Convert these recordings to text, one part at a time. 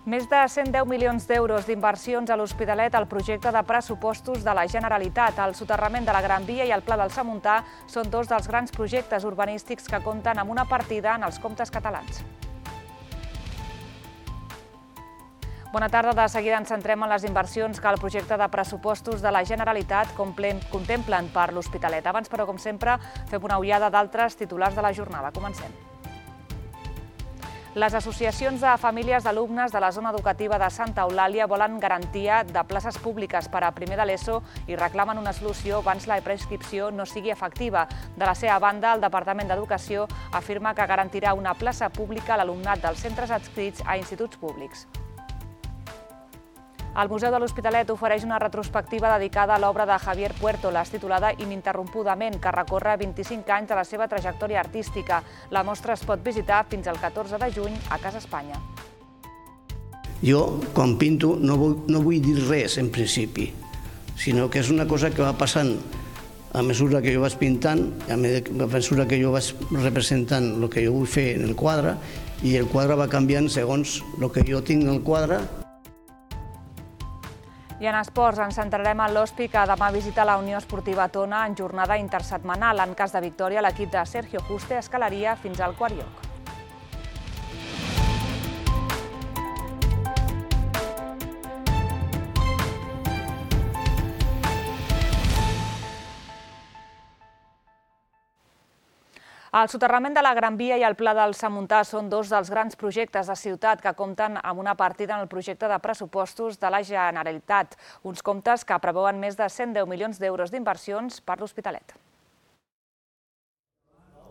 Més de 110 milions d'euros d'inversions a l'Hospitalet al projecte de pressupostos de la Generalitat. El soterrament de la Gran Via i el Pla del Samuntà són dos dels grans projectes urbanístics que compten amb una partida en els comptes catalans. Bona tarda. De seguida ens centrem en les inversions que el projecte de pressupostos de la Generalitat contemplen per l'Hospitalet. Abans, però, com sempre, fem una ullada d'altres titulars de la jornada. Comencem. Les associacions de famílies d'alumnes de la zona educativa de Santa Eulàlia volen garantia de places públiques per a primer de l'ESO i reclamen una solució abans la prescripció no sigui efectiva. De la seva banda, el Departament d'Educació afirma que garantirà una plaça pública a l'alumnat dels centres adscrits a instituts públics. El Museu de l'Hospitalet ofereix una retrospectiva dedicada a l'obra de Javier Puertolas, titulada Ininterrompudament, que recorre 25 anys de la seva trajectòria artística. La mostra es pot visitar fins al 14 de juny a Casa Espanya. Jo, quan pinto, no vull dir res, en principi, sinó que és una cosa que va passant a mesura que jo vaig pintant, a mesura que jo vaig representant el que jo vull fer en el quadre, i el quadre va canviant segons el que jo tinc en el quadre. I en esports ens centrarem en l'Hospi, que demà visita la Unió Esportiva Tona en jornada intersetmanal. En cas de victòria, l'equip de Sergio Juste escalaria fins al quart lloc. El soterrament de la Gran Via i el Pla del Samuntà són dos dels grans projectes de ciutat que compten amb una partida en el projecte de pressupostos de la Generalitat, uns comptes que preveuen més de 110 milions d'euros d'inversions per l'Hospitalet.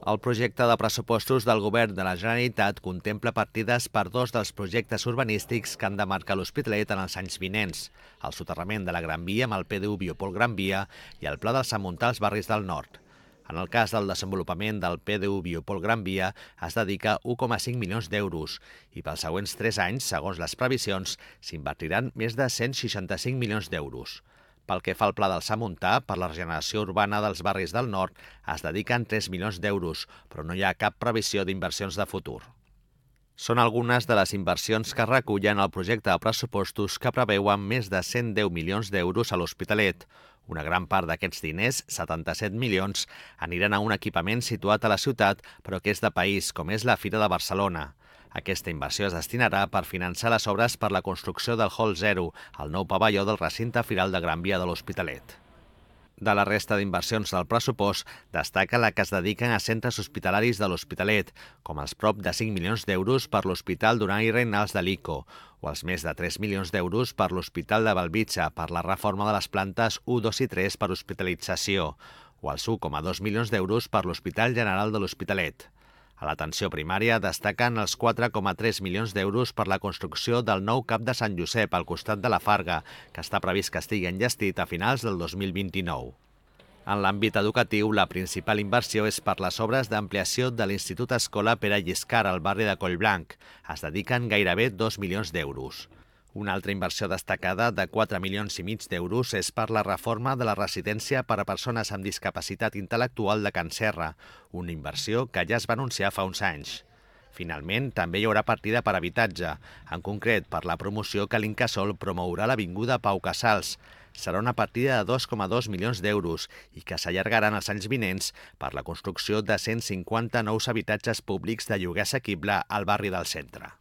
El projecte de pressupostos del Govern de la Generalitat contempla partides per dos dels projectes urbanístics que han de marcar l'Hospitalet en els anys vinents: el soterrament de la Gran Via amb el PDU Biopol Gran Via i el Pla del Samuntà als barris del nord. En el cas del desenvolupament del PDU Biopol Gran Via es dedica 1,5 milions d'euros i pels següents 3 anys, segons les previsions, s'invertiran més de 165 milions d'euros. Pel que fa al Pla del Samuntà, per la regeneració urbana dels barris del nord, es dediquen 3 milions d'euros, però no hi ha cap previsió d'inversions de futur. Són algunes de les inversions que recullen el projecte de pressupostos que preveuen més de 110 milions d'euros a l'Hospitalet. Una gran part d'aquests diners, 77 milions, aniran a un equipament situat a la ciutat, però que és de país, com és la Fira de Barcelona. Aquesta inversió es destinarà per finançar les obres per la construcció del Hall 0, el nou pavelló del recinte firal de Gran Via de l'Hospitalet. De la resta d'inversions del pressupost, destaca la que es dediquen a centres hospitalaris de l'Hospitalet, com els prop de 5 milions d'euros per l'Hospital Duran i Reynals de l'ICO, o els més de 3 milions d'euros per l'Hospital de Bellvitge per la reforma de les plantes 1, 2 i 3 per hospitalització, o els 1,2 milions d'euros per l'Hospital General de l'Hospitalet. A l'atenció primària destaquen els 4,3 milions d'euros per la construcció del nou CAP de Sant Josep al costat de la Farga, que està previst que estigui enllestit a finals del 2029. En l'àmbit educatiu, la principal inversió és per les obres d'ampliació de l'Institut Escola Pere Lliscar al barri de Collblanc. Es dediquen gairebé 2 milions d'euros. Una altra inversió destacada de 4 milions i mig d'euros és per la reforma de la residència per a persones amb discapacitat intel·lectual de Can Serra, una inversió que ja es va anunciar fa uns anys. Finalment, també hi haurà partida per habitatge, en concret per la promoció que l'Incasòl promourà a l'Avinguda Pau Casals. Serà una partida de 2,2 milions d'euros i que s'allargaran els anys vinents per la construcció de 150 nous habitatges públics de lloguer assequible al barri del centre.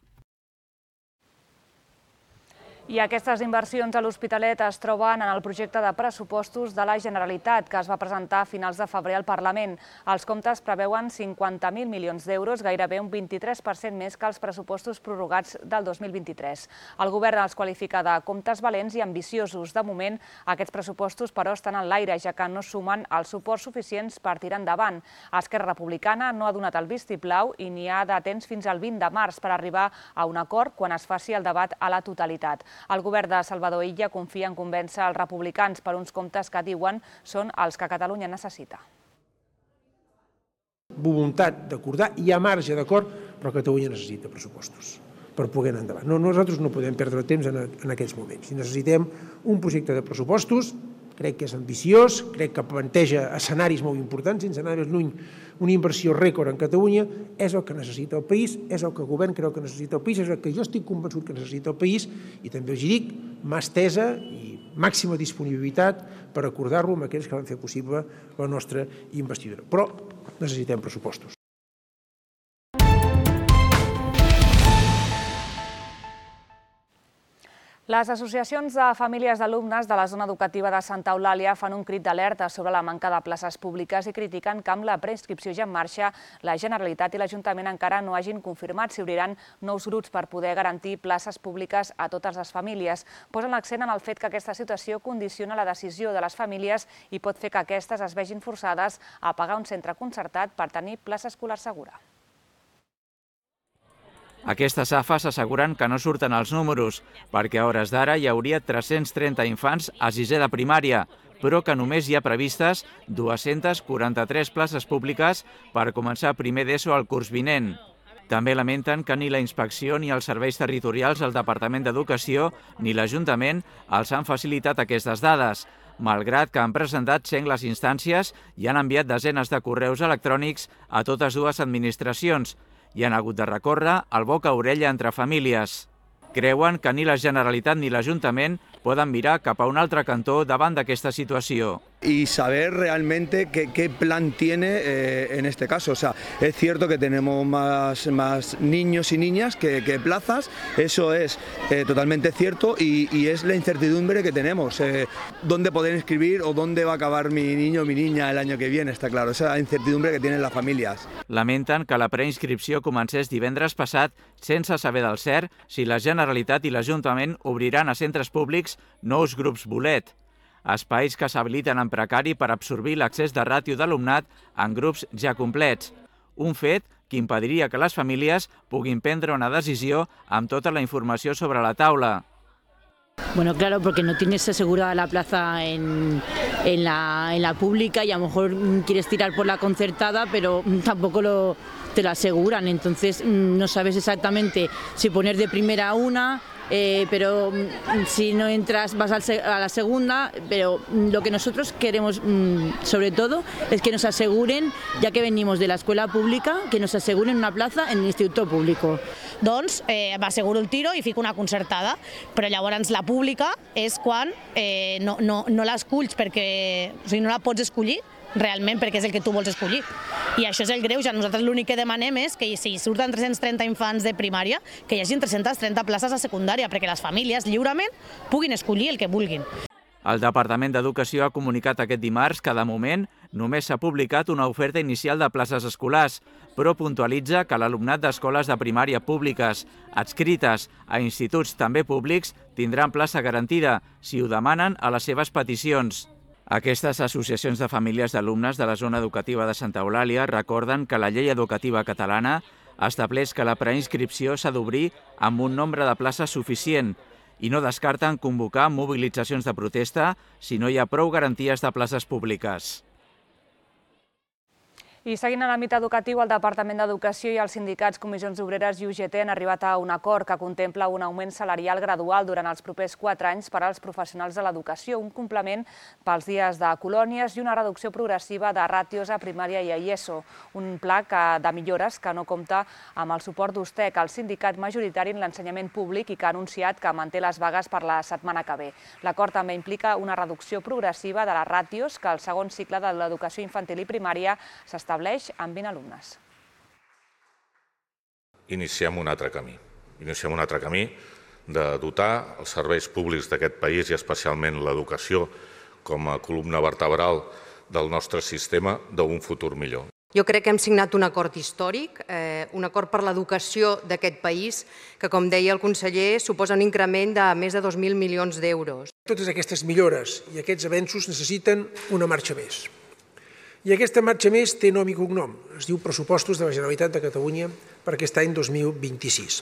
I aquestes inversions a l'Hospitalet es troben en el projecte de pressupostos de la Generalitat, que es va presentar a finals de febrer al Parlament. Els comptes preveuen 50.000 milions d'euros, gairebé un 23% més que els pressupostos prorrogats del 2023. El govern els qualifica de comptes valents i ambiciosos. De moment, aquests pressupostos, però, estan en l'aire, ja que no sumen els suports suficients per tirar endavant. Esquerra Republicana no ha donat el vistiplau i n'hi ha de temps fins al 20 de març per arribar a un acord quan es faci el debat a la totalitat. El govern de Salvador Illa confia en convèncer els republicans per uns comptes que diuen són els que Catalunya necessita. Voluntat d'acordar, hi ha marge d'acord, però Catalunya necessita pressupostos per poder anar endavant. Nosaltres no podem perdre temps en aquests moments. Necessitem un projecte de pressupostos crec que és ambiciós, crec que planteja escenaris molt importants, sense anar més lluny, una inversió rècord en Catalunya, és el que necessita el país, és el que el govern creu que necessita el país, és el que jo estic convençut que necessita el país, i també us dic, mà estesa i màxima disponibilitat per acordar-lo amb aquells que van fer possible la nostra investidura. Però necessitem pressupostos. Les associacions de famílies d'alumnes de la zona educativa de Santa Eulàlia fan un crit d'alerta sobre la manca de places públiques i critiquen que amb la preinscripció ja en marxa, la Generalitat i l'Ajuntament encara no hagin confirmat si obriran nous grups per poder garantir places públiques a totes les famílies. Posen l'accent en el fet que aquesta situació condiciona la decisió de les famílies i pot fer que aquestes es vegin forçades a pagar un centre concertat per tenir plaça escolar segura. Aquestes AFAs asseguren que no surten els números, perquè a hores d'ara hi hauria 330 infants a sisè de primària, però que només hi ha previstes 243 places públiques per començar primer d'ESO al curs vinent. També lamenten que ni la inspecció ni els serveis territorials del Departament d'Educació ni l'Ajuntament els han facilitat aquestes dades, malgrat que han presentat sengles instàncies i han enviat desenes de correus electrònics a totes dues administracions, i han hagut de recórrer al boca a orella entre famílies. Creuen que ni la Generalitat ni l'Ajuntament puedan mirar cap a un altre cantó davant d'aquesta situació. Y saber realmente qué plan tiene en este caso. O sea, es cierto que tenemos más niños y niñas que plazas, eso es totalmente cierto y es la incertidumbre que tenemos. ¿Dónde poder inscribir o dónde va a acabar mi niño o mi niña el año que viene? Está claro, esa es la incertidumbre que tienen las familias. Lamenten que la preinscripció comencés divendres passat sense saber del cert si la Generalitat i l'Ajuntament obriran a centres públics nous grups bolet, espais que s'habiliten en precari per absorbir l'accés de ràtio d'alumnat en grups ja complets, un fet que impediria que les famílies puguin prendre una decisió amb tota la informació sobre la taula. Bueno, claro, porque no tienes asegurada la plaza en la pública y a lo mejor quieres tirar por la concertada, pero tampoco te lo aseguran. Entonces no sabes exactamente si poner de primera una, pero si no entras vas a la segunda. Pero lo que nosotros queremos sobre todo es que nos aseguren, ya que venimos de la escuela pública, que nos aseguren una plaza en el instituto público. Doncs m'asseguro el tiro i fico una concertada, però llavors la pública és quan no l'esculls perquè, o sigui, no la pots escollir realment perquè és el que tu vols escollir. I això és el greuge. Nosaltres l'únic que demanem és que si surten 330 infants de primària, que hi hagi 330 places a secundària, perquè les famílies lliurement puguin escollir el que vulguin. El Departament d'Educació ha comunicat aquest dimarts que, de moment, només s'ha publicat una oferta inicial de places escolars, però puntualitza que l'alumnat d'escoles de primària públiques adscrites a instituts també públics tindran plaça garantida si ho demanen a les seves peticions. Aquestes associacions de famílies d'alumnes de la zona educativa de Santa Eulàlia recorden que la llei educativa catalana estableix que la preinscripció s'ha d'obrir amb un nombre de places suficient i no descarten convocar mobilitzacions de protesta si no hi ha prou garanties de places públiques. I seguint en l'àmbit educatiu, el Departament d'Educació i els sindicats Comissions Obreres i UGT han arribat a un acord que contempla un augment salarial gradual durant els propers 4 anys per als professionals de l'educació, un complement pels dies de colònies i una reducció progressiva de ràtios a primària i a ESO. Un pla de millores que no compta amb el suport d'USTEC, el sindicat majoritari en l'ensenyament públic i que ha anunciat que manté les vagues per la setmana que ve. L'acord també implica una reducció progressiva de les ràtios que al segon cicle de l'educació infantil i primària s'estableix amb 20 alumnes. Iniciem un altre camí. Iniciem un altre camí de dotar els serveis públics d'aquest país i especialment l'educació com a columna vertebral del nostre sistema d'un futur millor. Jo crec que hem signat un acord històric, un acord per l'educació d'aquest país, que, com deia el conseller, suposa un increment de més de 2.000 milions d'euros. Totes aquestes millores i aquests avenços necessiten una marxa més. I aquesta marxa més té nom i cognom. Es diu Pressupostos de la Generalitat de Catalunya per aquest any 2026.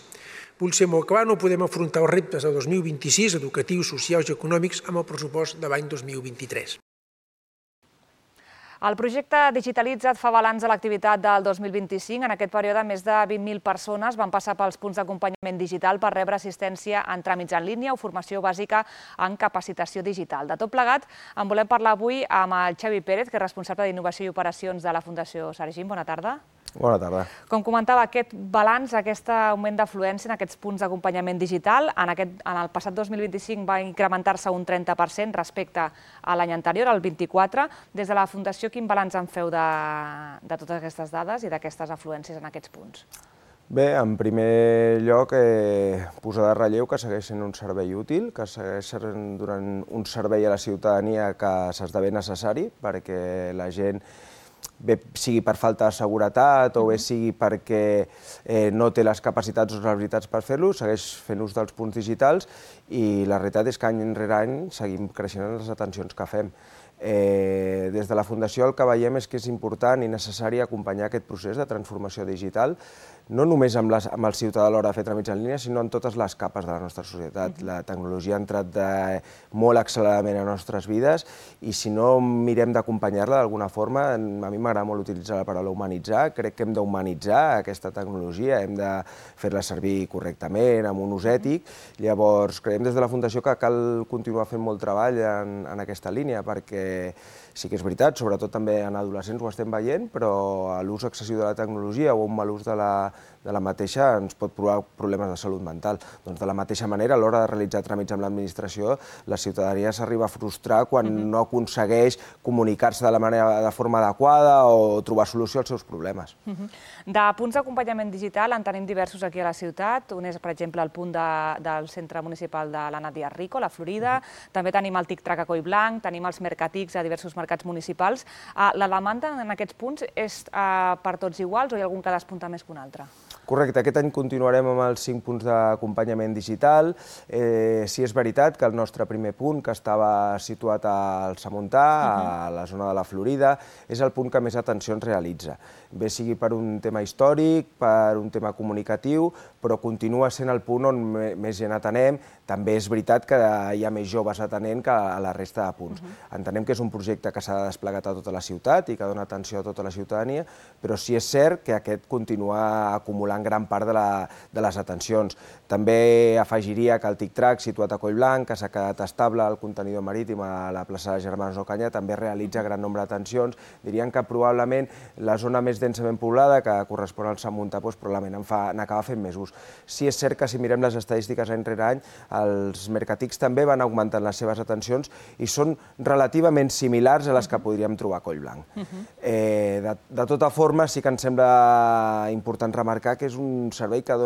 Vull ser molt clar, no podem afrontar els reptes del 2026, educatius, socials i econòmics, amb el pressupost de l'any 2023. El projecte Digitalitza't fa balanç de l'activitat del 2025. En aquest període, més de 20.000 persones van passar pels punts d'acompanyament digital per rebre assistència en tràmits en línia o formació bàsica en capacitació digital. De tot plegat, en volem parlar avui amb el Xavi Pérez, que és responsable d'Innovació i Operacions de la Fundació Sargim. Bona tarda. Bona tarda. Com comentava, aquest balanç, aquest augment d'afluència en aquests punts d'acompanyament digital, en el passat 2025 va incrementar-se un 30% respecte a l'any anterior, el 24%. Des de la Fundació, quin balanç en feu de totes aquestes dades i d'aquestes afluències en aquests punts? Bé, en primer lloc, posar de relleu que segueix sent un servei útil, que segueix donant un servei a la ciutadania que s'esdevé necessari perquè la gent, bé sigui per falta de seguretat o bé sigui perquè no té les capacitats o les habilitats per fer-lo, segueix fent ús dels punts digitals i la realitat és que any rere any seguim creixent en les atencions que fem. Des de la Fundació el que veiem és que és important i necessari acompanyar aquest procés de transformació digital, no només amb el ciutadà a l'hora de fer tràmits en línia, sinó en totes les capes de la nostra societat. La tecnologia ha entrat molt acceleradament a les nostres vides i si no mirem d'acompanyar-la d'alguna forma, a mi m'agrada molt utilitzar la paraula humanitzar, crec que hem d'humanitzar aquesta tecnologia, hem de fer-la servir correctament, amb un ús ètic. Llavors, creiem des de la Fundació que cal continuar fent molt treball en aquesta línia, perquè sí que és veritat, sobretot també en adolescents ho estem veient, però l'ús excessiu de la tecnologia o un mal ús de la mateixa ens pot provocar problemes de salut mental. Doncs de la mateixa manera, a l'hora de realitzar tràmits amb l'administració, la ciutadania s'arriba a frustrar quan no aconsegueix comunicar-se de forma adequada o trobar solució als seus problemes. De punts d'acompanyament digital en tenim diversos aquí a la ciutat. Un és, per exemple, el punt del centre municipal de l'Anna Díaz Rico, la Florida. També tenim el Tic-Trac a Collblanc, tenim els Mercatics a diversos mercats municipals. La demanda en aquests punts és per tots iguals o hi ha algun que despunta més que un altre? Correcte, aquest any continuarem amb els 5 punts d'acompanyament digital. Sí és veritat que el nostre primer punt, que estava situat al Samontà, a la zona de la Florida, és el punt que més atencions realitza. Bé sigui per un tema històric, per un tema comunicatiu, però continua sent el punt on més gent atenem. També és veritat que hi ha més joves atenent que a la resta de punts. Entenem que és un projecte que s'ha desplegat a tota la ciutat i que dona atenció a tota la ciutadania, però sí és cert que aquest continua acumulant gran part de les atencions. També afegiria que el Tic-Trac, situat a Collblanc, que s'ha quedat estable al contenidor marítim a la plaça de Germans Ocanyà, també realitza gran nombre d'atencions. Dirien que probablement la zona més densament poblada, que correspon al Sant Montà, probablement n'acaba fent més ús. Sí és cert que si mirem les estadístiques any rere any, els Mercatics també van augmentant les seves atencions i són relativament similars a les que podríem trobar a Collblanc. De tota forma, sí que ens sembla important remarcar que és un servei que es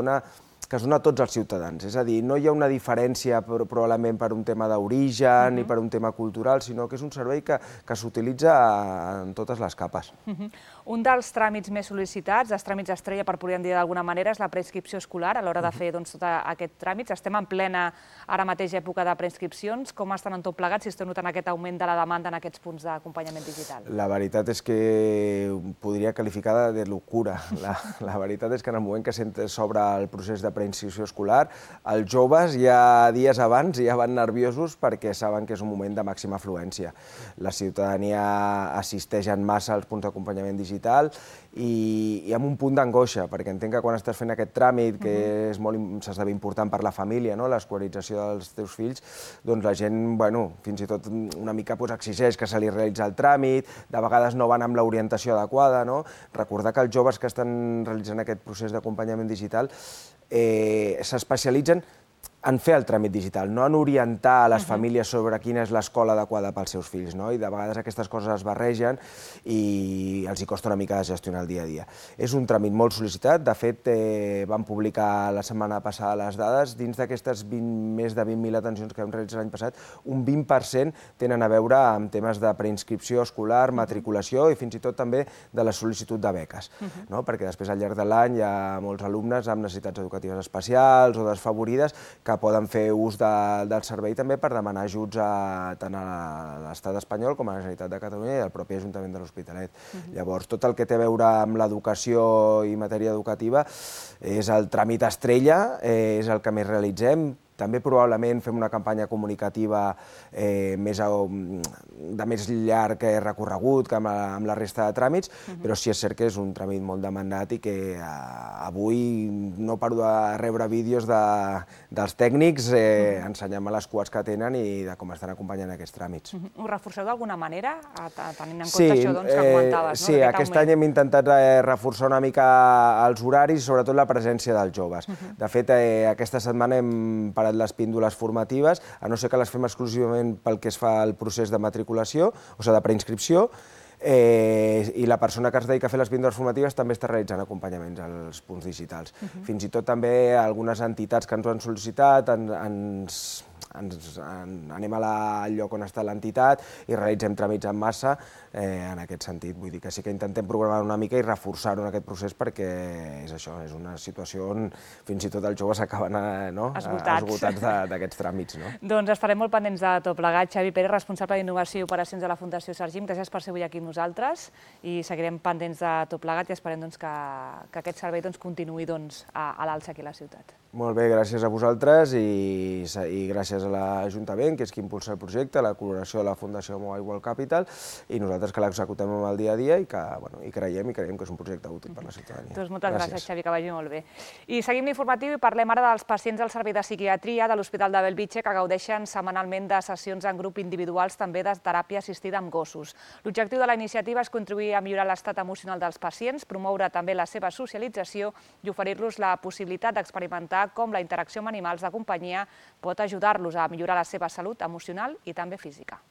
dona a tots els ciutadans. És a dir, no hi ha una diferència probablement per un tema d'origen ni per un tema cultural, sinó que és un servei que s'utilitza en totes les capes. Un dels tràmits més sol·licitats, els tràmits estrella, per podríem dir d'alguna manera, és la preinscripció escolar a l'hora de fer tot aquest tràmit. Estem en plena, ara mateix, època de preinscripcions. Com estan en tot plegat, si esteu notant aquest augment de la demanda en aquests punts d'acompanyament digital? La veritat és que podria qualificar de locura. La veritat és que en el moment que s'obre el procés de preinscripció escolar, els joves ja dies abans ja van nerviosos perquè saben que és un moment de màxima afluència. La ciutadania assisteix en massa als punts d'acompanyament digital i amb un punt d'angoixa, perquè entenc que quan estàs fent aquest tràmit, que s'esdevé important per la família, l'escolarització dels teus fills, doncs la gent, fins i tot una mica exigeix que se li realitzi el tràmit, de vegades no van amb l'orientació adequada. Recordar que els joves que estan realitzant aquest procés d'acompanyament digital s'especialitzen en fer el tràmit digital, no en orientar a les famílies sobre quina és l'escola adequada pels seus fills, i de vegades aquestes coses es barregen i els hi costa una mica de gestionar el dia a dia. És un tràmit molt sol·licitat, de fet vam publicar la setmana passada les dades, dins d'aquestes més de 20.000 atencions que vam realitzar l'any passat, un 20% tenen a veure amb temes de preinscripció escolar, matriculació i fins i tot també de la sol·licitud de beques, perquè després al llarg de l'any hi ha molts alumnes amb necessitats educatives especials o desfavorides que poden fer ús del servei també per demanar ajuts tant a l'Estat espanyol com a la Generalitat de Catalunya i al propi Ajuntament de l'Hospitalet. Llavors, tot el que té a veure amb l'educació i matèria educativa és el tràmit estrella, és el que més realitzem. també probablement fem una campanya comunicativa de més llarg recorregut que amb la resta de tràmits, però sí és cert que és un tràmit molt demandat i que avui no paro de rebre vídeos dels tècnics ensenyant-me les cues que tenen i de com estan acompanyant aquests tràmits. Ho reforceu d'alguna manera, tenint en compte això que comentaves? Sí, aquest any hem intentat reforçar una mica els horaris i sobretot la presència dels joves. De fet, aquesta setmana hem parat les píndoles formatives, a no ser que les fem exclusivament pel que es fa al procés de matriculació, o sigui, de preinscripció, i la persona que es dedica a fer les píndoles formatives també està realitzant acompanyaments als punts digitals. Fins i tot també algunes entitats que ens ho han sol·licitat, anem al lloc on està l'entitat i realitzem tràmits en massa en aquest sentit. Vull dir que sí que intentem programar una mica i reforçar-ho en aquest procés perquè és això, és una situació on fins i tot els joves acaben esgotats d'aquests tràmits. Doncs estarem molt pendents de tot plegat. Xavi Pérez, responsable d'Innovació i Operacions de la Fundació Sergim, gràcies per ser avui aquí amb nosaltres i seguirem pendents de tot plegat i esperem que aquest servei continuï a l'alça aquí a la ciutat. Molt bé, gràcies a vosaltres i gràcies a l'Ajuntament, que és qui impulsa el projecte, la col·laboració de la Fundació Mobile World Capital i nosaltres que l'executem el dia a dia i creiem que és un projecte útil per a la ciutadania. Doncs moltes gràcies, Xavi, que vagi molt bé. I seguim l'informatiu i parlem ara dels pacients del Servei de Psiquiatria de l'Hospital de Bellvitge que gaudeixen setmanalment de sessions en grup individuals, també de teràpia assistida amb gossos. L'objectiu de la iniciativa és contribuir a millorar l'estat emocional dels pacients, promoure també la seva socialització i oferir-los la possibilitat d'experimentar com la interacció amb animals de companyia pot ajudar-los a millorar la seva salut emocional i també física.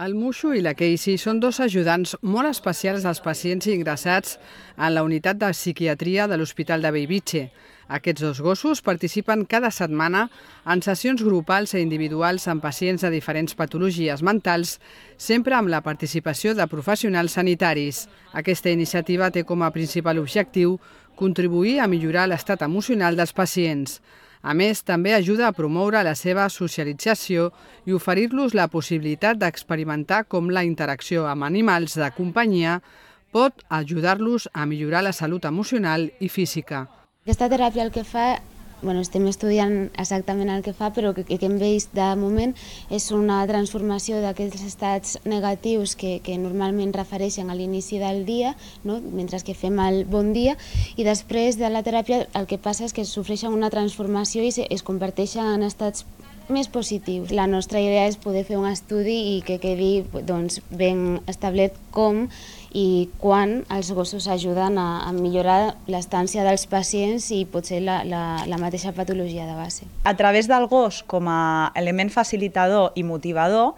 El Mushu i la Casey són dos ajudants molt especials dels pacients ingressats en la unitat de psiquiatria de l'Hospital de Bellvitge. Aquests dos gossos participen cada setmana en sessions grupals i individuals amb pacients de diferents patologies mentals, sempre amb la participació de professionals sanitaris. Aquesta iniciativa té com a principal objectiu contribuir a millorar l'estat emocional dels pacients. A més, també ajuda a promoure la seva socialització i oferir-los la possibilitat d'experimentar com la interacció amb animals de companyia pot ajudar-los a millorar la salut emocional i física. Aquesta teràpia el que fa, estem estudiant exactament el que fa, però el que hem vist de moment és una transformació d'aquests estats negatius que normalment refereixen a l'inici del dia, mentre que fem el bon dia, i després de la teràpia el que passa és que sofreixen una transformació i es converteixen en estats més positius. La nostra idea és poder fer un estudi i que quedi ben establert com i quan els gossos ajuden a millorar l'estància dels pacients i potser la mateixa patologia de base. A través del gos com a element facilitador i motivador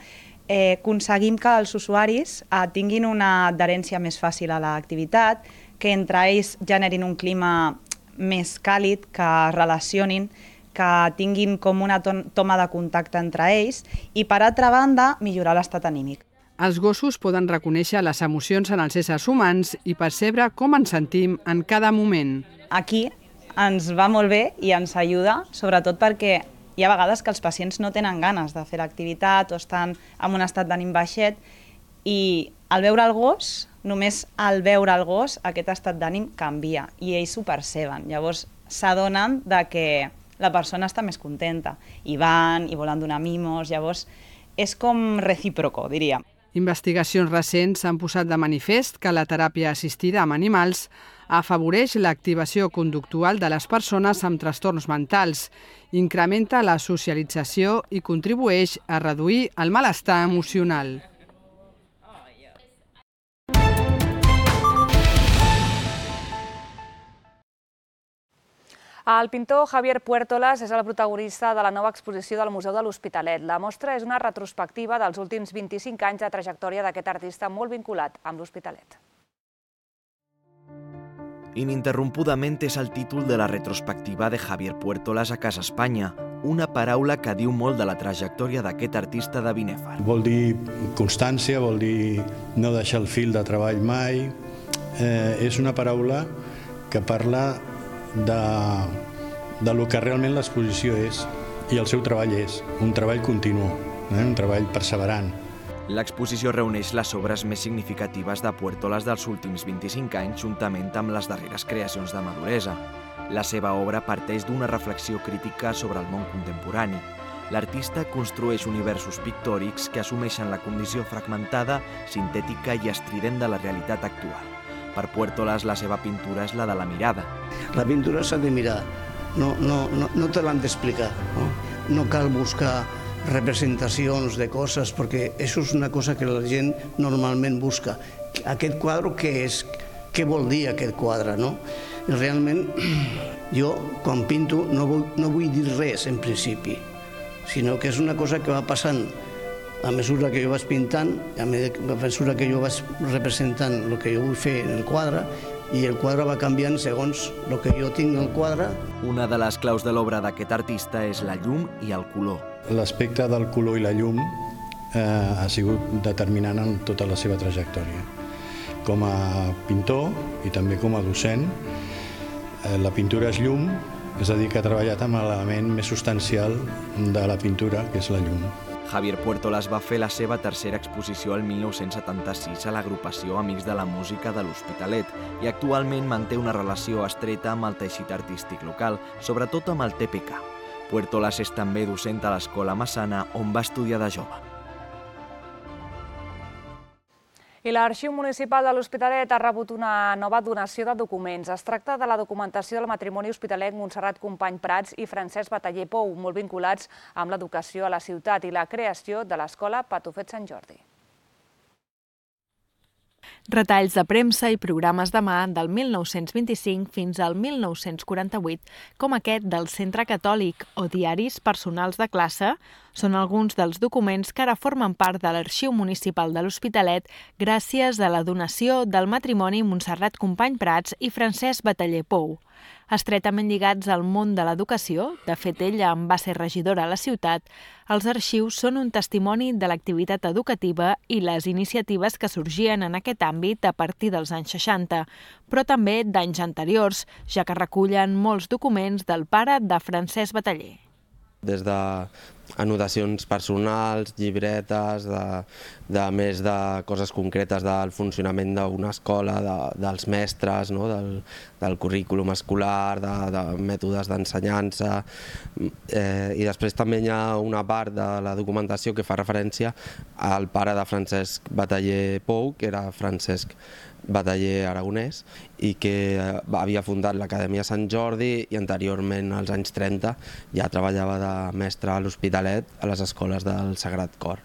aconseguim que els usuaris tinguin una adherència més fàcil a l'activitat, que entre ells generin un clima més càlid, que es relacionin, que tinguin com una toma de contacte entre ells i, per altra banda, millorar l'estat anímic. Els gossos poden reconèixer les emocions en els éssers humans i percebre com ens sentim en cada moment. Aquí ens va molt bé i ens ajuda, sobretot perquè hi ha vegades que els pacients no tenen ganes de fer l'activitat o estan en un estat d'ànim baixet i al veure el gos, només al veure el gos, aquest estat d'ànim canvia i ells ho perceben. Llavors s'adonen que la persona està més contenta i van i volen donar mimos, llavors és com recíproco, diria. Investigacions recents han posat de manifest que la teràpia assistida amb animals afavoreix l'activació conductual de les persones amb trastorns mentals, incrementa la socialització i contribueix a reduir el malestar emocional. El pintor Javier Puertolas és el protagonista de la nova exposició del Museu de l'Hospitalet. La mostra és una retrospectiva dels últims 25 anys de trajectòria d'aquest artista molt vinculat amb l'Hospitalet. Ininterrompudament és el títol de la retrospectiva de Javier Puertolas a Casa Espanya, una paraula que diu molt de la trajectòria d'aquest artista de Binèfar. Vol dir constància, vol dir no deixar el fil de treball mai. És una paraula que parla de lo que realment l'exposició és i el seu treball és un treball continu, un treball perseverant. L'exposició reuneix les obres més significatives de Puertolas dels últims 25 anys juntament amb les darreres creacions de maduresa. La seva obra parteix d'una reflexió crítica sobre el món contemporani. L'artista construeix universos pictòrics que assumeixen la condició fragmentada, sintètica i estrident de la realitat actual. Per Puertolas, la seva pintura és la de la mirada. La pintura s'ha de mirar, no te l'han d'explicar. No cal buscar representacions de coses, perquè això és una cosa que la gent normalment busca. Aquest quadre què és? Què vol dir aquest quadre? I realment, jo, quan pinto, no vull dir res, en principi, sinó que és una cosa que va passant a mesura que jo vaig pintant, a mesura que jo vaig representant el que jo vull fer en el quadre, i el quadre va canviant segons el que jo tinc al quadre. Una de les claus de l'obra d'aquest artista és la llum i el color. L'aspecte del color i la llum ha sigut determinant en tota la seva trajectòria. Com a pintor i també com a docent, la pintura és llum, és a dir, que ha treballat amb l'element més substancial de la pintura, que és la llum. Javier Puertolas va fer la seva tercera exposició el 1976 a l'agrupació Amics de la Música de l'Hospitalet i actualment manté una relació estreta amb el teixit artístic local, sobretot amb el TPK. Puertolas és també docent a l'Escola Massana, on va estudiar de jove. I l'Arxiu Municipal de l'Hospitalet ha rebut una nova donació de documents. Es tracta de la documentació del matrimoni hospitalenc Montserrat Company Prats i Francesc Bataller Pou, molt vinculats amb l'educació a la ciutat i la creació de l'Escola Patufet Sant Jordi. Retalls de premsa i programes de mà del 1925 fins al 1948, com aquest del Centre Catòlic o diaris personals de classe, són alguns dels documents que ara formen part de l'Arxiu Municipal de l'Hospitalet gràcies a la donació del matrimoni Montserrat Company Prats i Francesc Bataller Pou. Estretament lligats al món de l'educació, de fet ella en va ser regidora a la ciutat, els arxius són un testimoni de l'activitat educativa i les iniciatives que sorgien en aquest àmbit a partir dels anys 60, però també d'anys anteriors, ja que recullen molts documents del pare de Francesc Bataller. Des d'anotacions personals, llibretes, de més de coses concretes del funcionament d'una escola, dels mestres, del currículum escolar, de mètodes d'ensenyança. I després també hi ha una part de la documentació que fa referència al pare de Francesc Bataller Pou, que era Francesc Bataller Aragonès, i que havia fundat l'Acadèmia Sant Jordi i anteriorment, als anys 30, ja treballava de mestre a l'Hospitalet a les escoles del Sagrat Cor.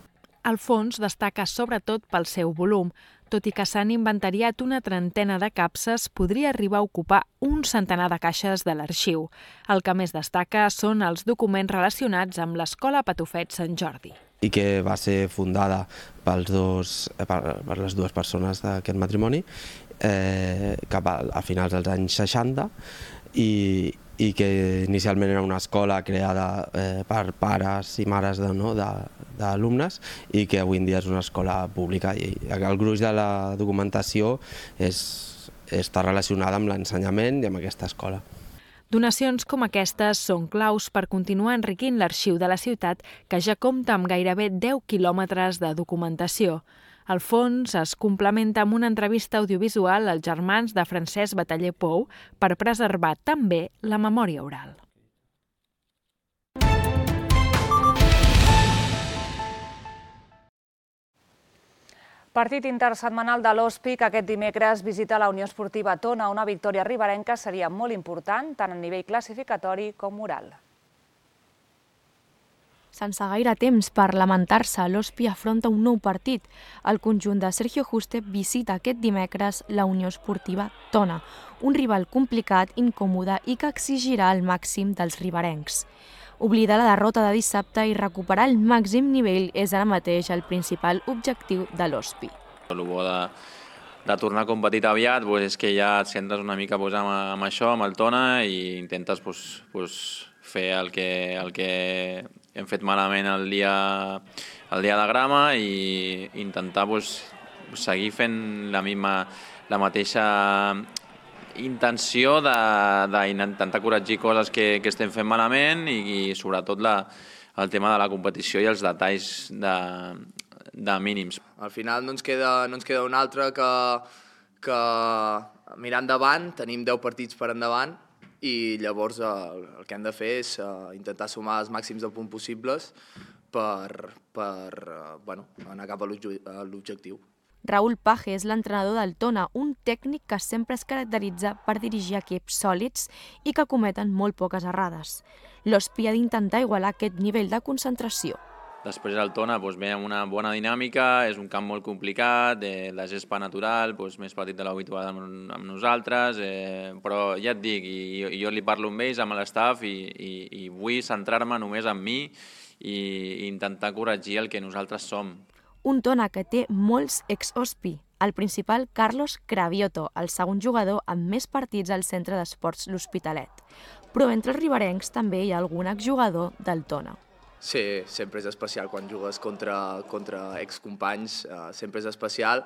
El fons destaca sobretot pel seu volum. Tot i que s'han inventariat una trentena de capses, podria arribar a ocupar un centenar de caixes de l'arxiu. El que més destaca són els documents relacionats amb l'Escola Patufet Sant Jordi. I que va ser fundada per les dues persones d'aquest matrimoni cap a finals dels anys 60 i que inicialment era una escola creada per pares i mares d'alumnes i que avui en dia és una escola pública. I el gruix de la documentació està relacionada amb l'ensenyament i amb aquesta escola. Donacions com aquestes són claus per continuar enriquint l'arxiu de la ciutat, que ja compta amb gairebé 10 quilòmetres de documentació. El fons es complementa amb una entrevista audiovisual als germans de Francesc Bataller Pou per preservar també la memòria oral. Partit intersetmanal de l'Hospi que aquest dimecres visita la Unió Esportiva Tona. Una victòria riberenca seria molt important tant a nivell classificatori com moral. Sense gaire temps per lamentar-se, l'Hospi afronta un nou partit. El conjunt de Sergio Juste visita aquest dimecres la Unió Esportiva Tona, un rival complicat, incòmode i que exigirà el màxim dels riberencs. Oblidar la derrota de dissabte i recuperar el màxim nivell és ara mateix el principal objectiu de l'Hospi. El bo de tornar a competir aviat és que ja et centres una mica amb això, amb el Tona, i intentes fer el que hem fet malament el dia de grama i intentar seguir fent la mateixa intenció d'intentar corregir coses que estem fent malament i sobretot el tema de la competició i els detalls de mínims. Al final no ens queda un altre que mirar endavant, tenim 10 partits per endavant i llavors el que hem de fer és intentar sumar els màxims de punts possibles per anar cap a l'objectiu. Raúl Paje és l'entrenador del Tona, un tècnic que sempre es caracteritza per dirigir equips sòlids i que cometen molt poques errades. L'Ospi ha d'intentar igualar aquest nivell de concentració. Després el Tona ve amb una bona dinàmica, és un camp molt complicat, la gespa natural, més petit de l'habitual amb nosaltres, però ja et dic, jo li parlo amb ells, amb l'estaf, i vull centrar-me només en mi i intentar corregir el que nosaltres som. Un Tona que té molts ex-Ospi. El principal, Carlos Cravioto, el segon jugador amb més partits al centre d'esports l'Hospitalet. Però entre els riberencs també hi ha algun exjugador del Tona. Sí, sempre és especial quan jugues contra excompanys, sempre és especial.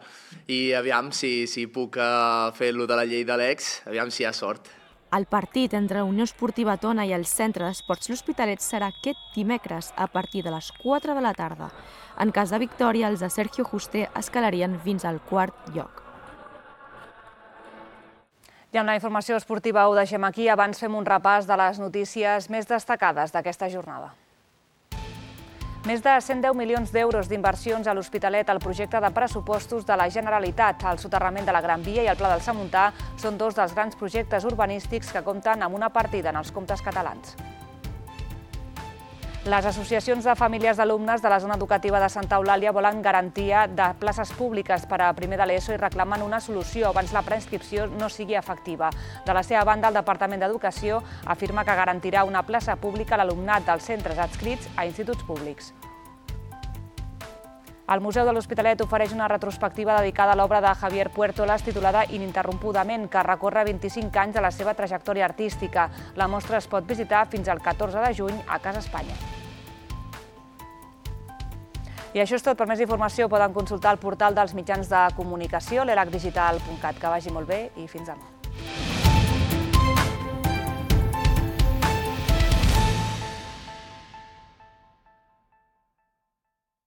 I aviam si puc fer-lo de la llei de l'ex, aviam si hi ha sort. El partit entre la Unió Esportiva Tona i el Centre d'Esports l'Hospitalet serà aquest dimecres a partir de les 4 de la tarda. En cas de victòria, els de Sergio Juste escalarien fins al quart lloc. I amb la informació esportiva ho deixem aquí. Abans fem un repàs de les notícies més destacades d'aquesta jornada. Més de 110 milions d'euros d'inversions a l'Hospitalet al projecte de pressupostos de la Generalitat. El soterrament de la Gran Via i el Pla del Samuntà són dos dels grans projectes urbanístics que compten amb una partida en els comptes catalans. Les associacions de famílies d'alumnes de la zona educativa de Santa Eulàlia volen garantia de places públiques per a primer de l'ESO i reclamen una solució abans la preinscripció no sigui efectiva. De la seva banda, el Departament d'Educació afirma que garantirà una plaça pública a l'alumnat dels centres adscrits a instituts públics. El Museu de l'Hospitalet ofereix una retrospectiva dedicada a l'obra de Javier Puertolas titulada Ininterrompudament, que recorre 25 anys de la seva trajectòria artística. La mostra es pot visitar fins al 14 de juny a Casa Espanya. I això és tot. Per més informació poden consultar el portal dels mitjans de comunicació, l'elacdigital.cat. Que vagi molt bé i fins demà.